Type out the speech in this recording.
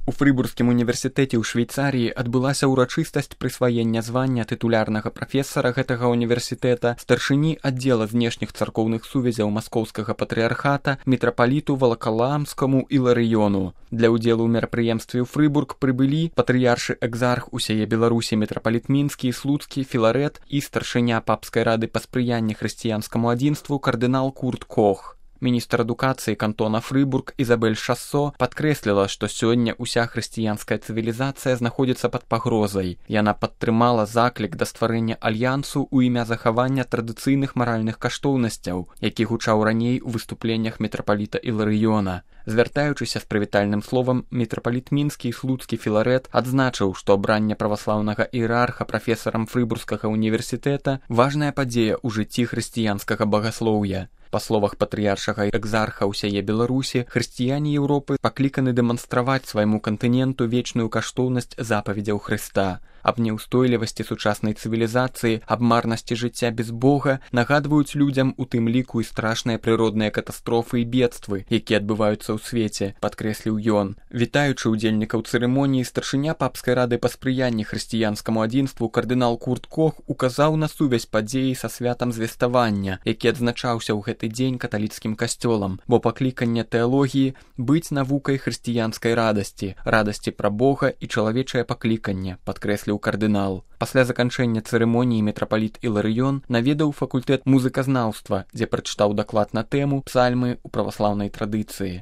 У Фрыбургскім універсітэце ў Швейцарыі адбылася ўрачыстасць прысваення звання тытулярнага прафесара гэтага універсітэта старшыні аддзела знешніх царкоўных сувязяў маскоўскага патрыархата мітрапаліту Валакаламскаму Іларыёну. Для ўдзелу ў мерапрыемстве ў Фрыбург прыбылі патрыяршы экзарх усяе Беларусі мітрапаліт Мінскі, Слуцкі, Філарэт і старшыня папскай рады па спрыянні хрысціянскаму адзінству кардынал Курт Кох. Міністр адукацыі кантона Фрыбург Ізабель Шассо падкрэсліла, што сёння ўся хрысціянская цывілізацыя знаходзіцца пад пагрозай. Яна падтрымала заклік да стварэння альянсу ў імя захавання традыцыйных маральных каштоўнасцяў, які гучаў раней у выступленнях мітрапаліта Іларыёна. Звяртаючыся з прывітальным словам, мітрапаліт Мінскі і Слуцкі Філарэт адзначыў, што абранне праваслаўнага іерарха прафесарам Фрыбургскага універсітэта важная падзея ў жыцці хрысціянскага багаслоўя. Па словах патрыяршага экзарха ўсяе Беларусі, хрысціяне Еўропы пакліканы дэманстраваць свайму кантыненту вечную каштоўнасць запаведзяў Хрыста. Аб няўстойлівасці сучаснай цывілізацыі, аб марнасці жыцця без Бога нагадваюць людзям у тым ліку і страшныя прыродныя катастрофы і бедствы, якія адбываюцца ў свеце, падкрэсліў ён. Вітаючы ўдзельнікаў цырымоніі, старшыня папскай рады па спрыянні хрысціянскаму адзінству кардынал Курт Кох указаў на сувязь падзеі са святам звеставання, які адзначаўся ў гэты дзень каталіцкім касцёлам, бо пакліканне тэалогіі быць навукай хрысціянскай радасці, радасці пра Бога і чалавечае пакліканне, падкрэсліў кардынал. Пасля заканчэння цырымоніі мітрапаліт Іларыён наведаў факультэт музыказнаўства, дзе прачытаў даклад на тэму псальмы ў праваслаўнай традыцыі.